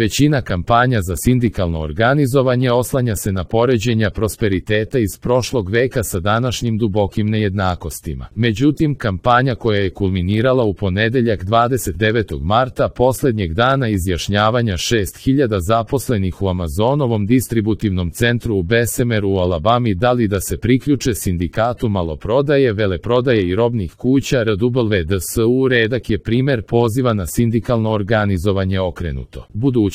Većina kampanja za sindikalno organizovanje oslanja se na poređenja prosperiteta iz prošlog veka sa današnjim dubokim nejednakostima. Međutim, kampanja koja je kulminirala u ponedeljak 29. marta, posljednjeg dana izjašnjavanja 6000 zaposlenih u Amazonovom distributivnom centru u Bessemeru u Alabami dali da se priključe sindikatu maloprodaje, veleprodaje i robnih kuća RWDSU, redak je primer poziva na sindikalno organizovanje okrenuto budućnosti.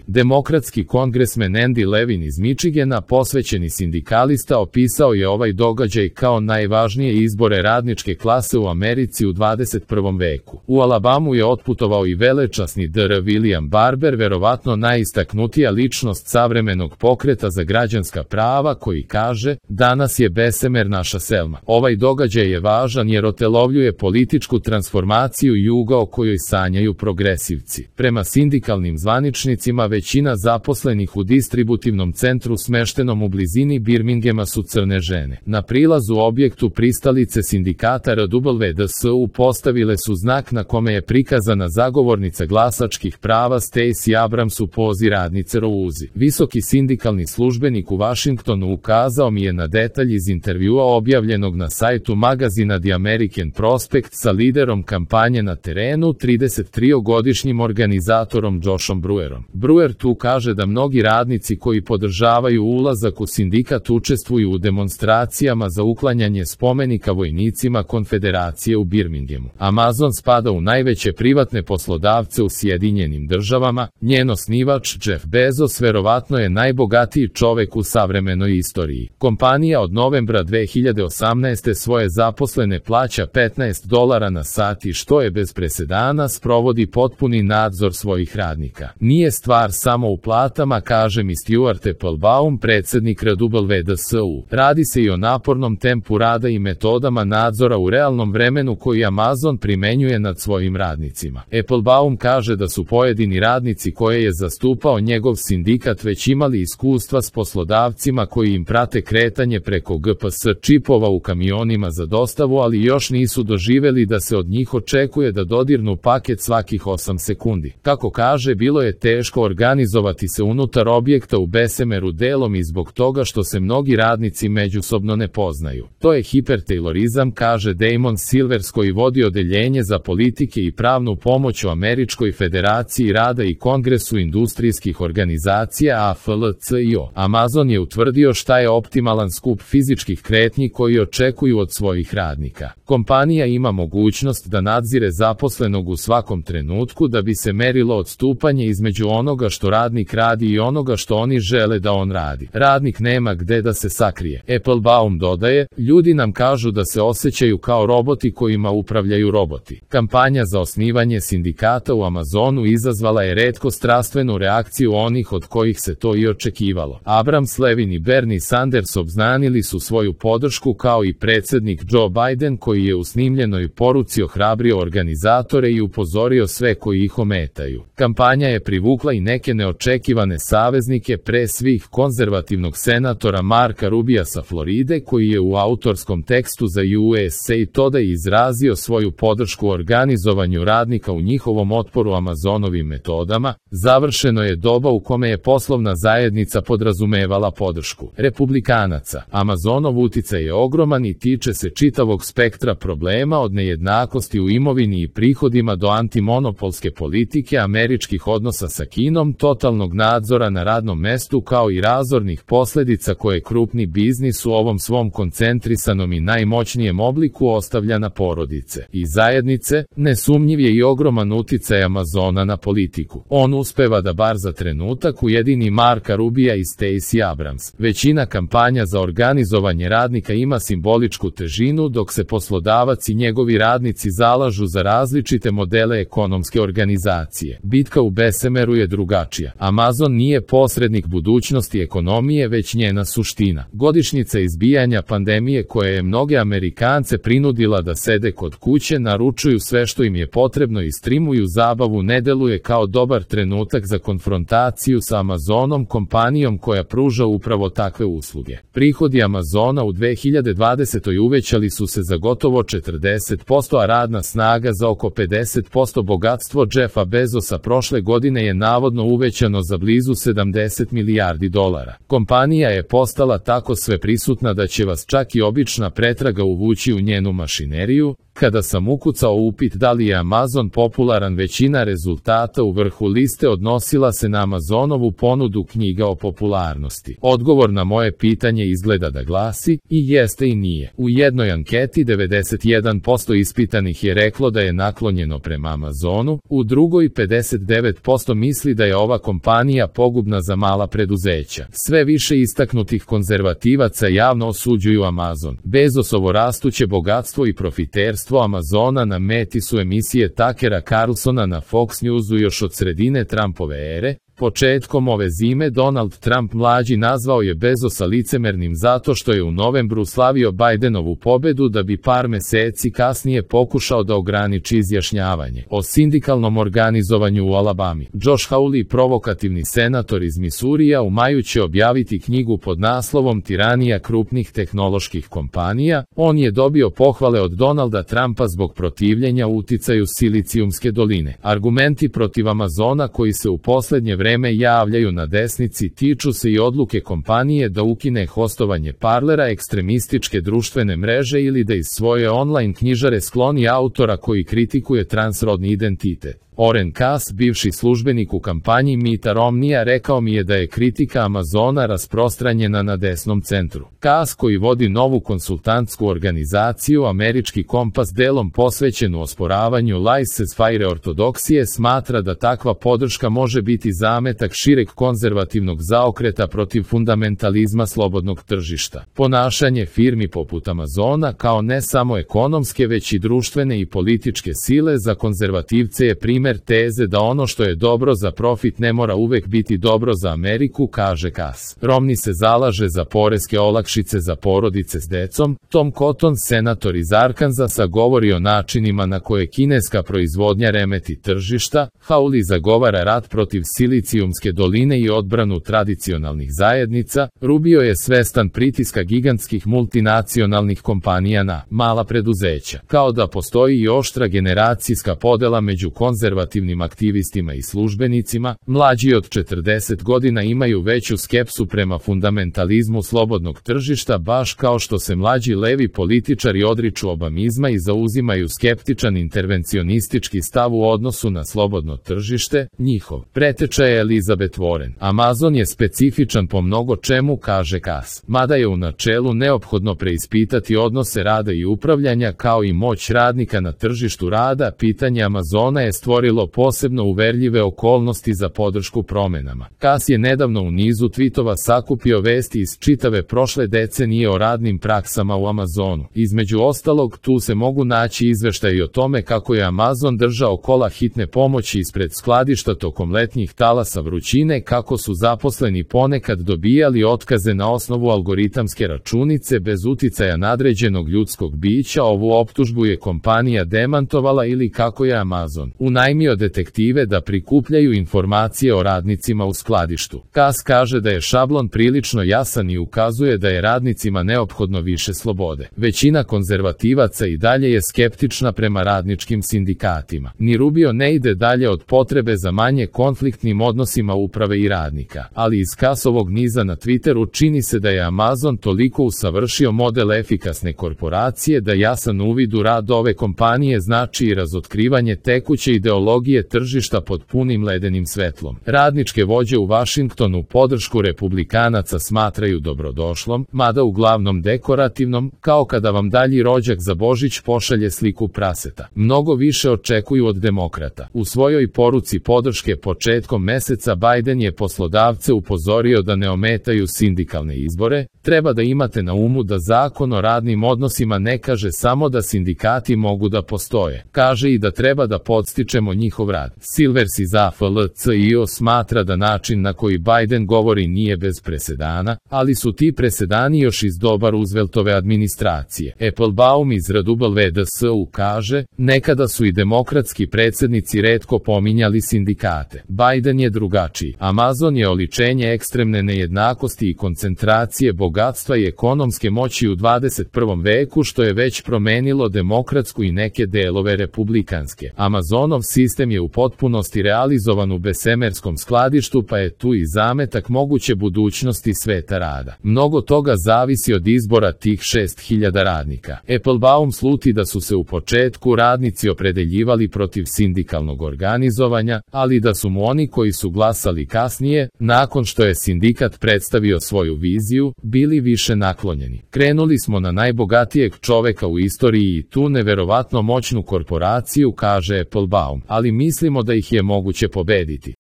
Demokratski kongresmen Andy Levin iz Michigana, posvećeni sindikalista, opisao je ovaj događaj kao najvažnije izbore radničke klase u Americi u 21. veku. U Alabamu je otputovao i velečasni Dr. William Barber, verovatno najistaknutija ličnost savremenog pokreta za građanska prava, koji kaže: danas je Bessemer naša Selma. Ovaj događaj je važan jer otelovljuje političku transformaciju juga o kojoj sanjaju progresivci. Prema sindikalnim zvaničnicima, većina zaposlenih u distributivnom centru smeštenom u blizini Birminghama su crne žene. Na prilazu objektu pristalice sindikata RWDSU postavile su znak na kome je prikazana zagovornica glasačkih prava Stacey Abrams u pozi radnice Rousey. Visoki sindikalni službenik u Washingtonu ukazao mi je na detalj iz intervjua objavljenog na sajtu magazina The American Prospect sa liderom kampanje na terenu, 33-godišnjim organizatorom Joshom Brewerom. Brewer tu kaže da mnogi radnici koji podržavaju ulazak u sindikat učestvuju u demonstracijama za uklanjanje spomenika vojnicima Konfederacije u Birminghamu. Amazon spada u najveće privatne poslodavce u Sjedinjenim državama. Njen osnivač Jeff Bezos verovatno je najbogatiji čovek u savremenoj istoriji. Kompanija od novembra 2018. svoje zaposlene plaća $15 na sat i, što je bez presedana, sprovodi potpuni nadzor svojih radnika. Nije stvar samo u platama, kaže mi Stuart Applebaum, predsjednik RWDSU. Radi se i o napornom tempu rada i metodama nadzora u realnom vremenu koji Amazon primenjuje nad svojim radnicima. Applebaum kaže da su pojedini radnici koje je zastupao njegov sindikat već imali iskustva s poslodavcima koji im prate kretanje preko GPS čipova u kamionima za dostavu, ali još nisu doživeli da se od njih očekuje da dodirnu paket svakih 8 sekundi. Kako kaže, bilo je teško organizovati se unutar objekta u Bessemeru, delom i zbog toga što se mnogi radnici međusobno ne poznaju. To je hipertejlorizam, kaže Damon Silvers, koji vodi odeljenje za politike i pravnu pomoć u Američkoj federaciji rada i Kongresu industrijskih organizacija AFL-CIO. Amazon je utvrdio šta je optimalan skup fizičkih kretnji koji očekuju od svojih radnika. Kompanija ima mogućnost da nadzire zaposlenog u svakom trenutku da bi se merilo odstupanje između onoga što radnik radi i onoga što oni žele da on radi. Radnik nema gde da se sakrije. Applebaum dodaje: ljudi nam kažu da se osjećaju kao roboti kojima upravljaju roboti. Kampanja za osnivanje sindikata u Amazonu izazvala je retko strastvenu reakciju onih od kojih se to i očekivalo. Abrams, Levin i Bernie Sanders obznanili su svoju podršku, kao i predsjednik Joe Biden, koji je u snimljenoj poruci ohrabrio organizatore i upozorio sve koji ih ometaju. Kampanja je privukla i neke neočekivane saveznike, pre svih konzervativnog senatora Marka Rubija sa Floride, koji je u autorskom tekstu za USA Today izrazio svoju podršku organizovanju radnika u njihovom otporu Amazonovim metodama. Završeno je doba u kome je poslovna zajednica podrazumevala podršku republikanaca. Amazonov uticaj je ogroman i tiče se čitavog spektra problema, od nejednakosti u imovini i prihodima do antimonopolske politike, američkih odnosa sa Kinom, totalnog nadzora na radnom mestu, kao i razornih posljedica koje krupni biznis u ovom svom koncentrisanom i najmoćnijem obliku ostavlja na porodice i zajednice. Nesumnjiv je i ogroman uticaj Amazona na politiku. On uspeva da bar za trenutak ujedini Marka Rubija i Stacey Abrams. Većina kampanja za organizovanje radnika ima simboličku težinu, dok se poslodavac i njegovi radnici zalažu za različite modele ekonomske organizacije. Bitka u Bessemeru je drugačija. Amazon nije posrednik budućnosti ekonomije, već njena suština. Godišnjica izbijanja pandemije koja je mnoge Amerikance prinudila da sede kod kuće, naručuju sve što im je potrebno i streamuju zabavu, ne deluje kao dobar trenutak za konfrontaciju sa Amazonom, kompanijom koja pruža upravo takve usluge. Prihodi Amazona u 2020. uvećali su se za gotovo 40%, a radna snaga za oko 50%. Bogatstvo Jeffa Bezosa prošle godine je je navodno uvećano za blizu 70 milijardi dolara. Kompanija je postala tako sveprisutna da će vas čak i obična pretraga uvući u njenu mašineriju. Kada sam ukucao upit da li je Amazon popularan, većina rezultata u vrhu liste odnosila se na Amazonovu ponudu knjiga o popularnosti. Odgovor na moje pitanje izgleda da glasi i jeste i nije. U jednoj anketi 91% ispitanih je reklo da je naklonjeno prema Amazonu, u drugoj 59% misli da je ova kompanija pogubna za mala preduzeća. Sve više istaknutih konzervativaca javno osuđuju Amazon. Bezosovo rastuće bogatstvo i profiterstvo Amazona na meti su emisije Tuckera Carlsona na Fox Newsu još od sredine Trumpove ere. Početkom ove zime Donald Trump mlađi nazvao je Bezosa licemernim zato što je u novembru slavio Bidenovu pobedu da bi par meseci kasnije pokušao da ograniči izjašnjavanje o sindikalnom organizovanju u Alabami. Josh Hawley, provokativni senator iz Misurija, u maju će objaviti knjigu pod naslovom Tiranija krupnih tehnoloških kompanija. On je dobio pohvale od Donalda Trumpa zbog protivljenja uticaju Silicijumske doline. Argumenti protiv Amazona koji se u poslednje vreme javljaju na desnici tiču se i odluke kompanije da ukine hostovanje Parlera, ekstremističke društvene mreže, ili da iz svoje online knjižare skloni autora koji kritikuje transrodni identitet. Oren Cass, bivši službenik u kampanji Mitta Romneya, rekao mi je da je kritika Amazona rasprostranjena na desnom centru. Cass, koji vodi novu konsultantsku organizaciju Američki kompas delom posvećenu osporavanju laissez-faire ortodoksije, smatra da takva podrška može biti zametak šireg konzervativnog zaokreta protiv fundamentalizma slobodnog tržišta. Ponašanje firmi poput Amazona kao ne samo ekonomske već i društvene i političke sile za konzervativce je primer teze da ono što je dobro za profit ne mora uvek biti dobro za Ameriku, kaže Cass. Romney se zalaže za poreske olakšice za porodice s decom. Tom Cotton, senator iz Arkansasa, govori o načinima na koje kineska proizvodnja remeti tržišta. Hawley zagovara rat protiv Silicijumske doline i odbranu tradicionalnih zajednica. Rubio je svestan pritiska gigantskih multinacionalnih kompanija na mala preduzeća, kao da postoji i oštra generacijska podela među konzervativnim aktivistima i službenicima. Mlađi od 40 godina imaju veću skepsu prema fundamentalizmu slobodnog tržišta, baš kao što se mlađi levi političari odriču obamizma i zauzimaju skeptičan intervencionistički stav u odnosu na slobodno tržište. Njihov preteča je Elizabeth Warren. Amazon je specifičan po mnogo čemu, kaže Cass. Mada je u načelu neophodno preispitati odnose rada i upravljanja kao i moć radnika na tržištu rada, pitanje Amazona je stvorilo posebno uverljive okolnosti za podršku promenama. Cass je nedavno u nizu tvitova sakupio vesti iz čitave prošle decenije o radnim praksama u Amazonu. Između ostalog, tu se mogu naći izveštaji o tome kako je Amazon držao kola hitne pomoći ispred skladišta tokom letnjih talasa vrućine, kako su zaposleni ponekad dobijali otkaze na osnovu algoritamske računice bez uticaja nadređenog ljudskog bića. Ovu optužbu je kompanija demantovala, ili kako je Amazon unajmio detektive da prikupljaju informacije o radnicima u skladištu. Cass kaže da je šablon prilično jasan i ukazuje da je radnicima neophodno više slobode. Većina konzervativaca i dalje je skeptična prema radničkim sindikatima. Ni Rubio ne ide dalje od potrebe za manje konfliktnim odnosima uprave i radnika, ali iz Cassovog niza na Twitteru čini se da je Amazon toliko usavršio model efikasne korporacije da jasan uvid u rad ove kompanije znači i razotkrivanje tekuće ideologije tržišta pod punim ledenim svetlom. Radničke vođe u Vašingtonu podršku republikanaca smatraju dobrodošlom, mada uglavnom dekorativnom, kao kada vam dalji rođak za Božić pošalje sliku praseta. Mnogo više očekuju od demokrata. U svojoj poruci podrške početkom meseca Biden je poslodavce upozorio da ne ometaju sindikalne izbore. Treba da imate na umu da Zakon o radnim odnosima ne kaže samo da sindikati mogu da postoje. Kaže i da treba da podstičemo njihov rad. Silvers iz AFL-CIO smatra da način na koji Biden govori nije bez presedana, ali su ti presedani još iz doba Rooseveltove administracije. Applebaum iz RWDS-u kaže, nekada su i demokratski predsjednici retko pominjali sindikate. Biden je drugačiji. Amazon je oličenje ekstremne nejednakosti i koncentracije bogatstva i ekonomske moći u 21. veku, što je već promenilo demokratsku i neke delove republikanske. Amazonov sistem je u potpunosti realizovan u besemerskom skladištu, pa je tu i zametak moguće budućnosti sveta rada. Mnogo toga zavisi od izbora tih 6000 radnika. Applebaum sluti da su se u početku radnici opredeljivali protiv sindikalnog organizovanja, ali da su mu oni koji su glasali kasnije, nakon što je sindikat predstavio svoju viziju, bili više naklonjeni. Krenuli smo na najbogatijeg čoveka u istoriji i tu neverovatno moćnu korporaciju, kaže Applebaum, ali mislimo da ih je moguće pobediti.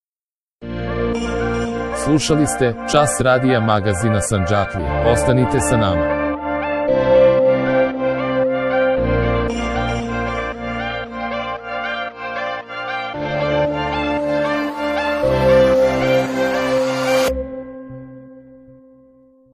Slušali ste Čas radija magazina Sandžaklija. Ostanite sa nama.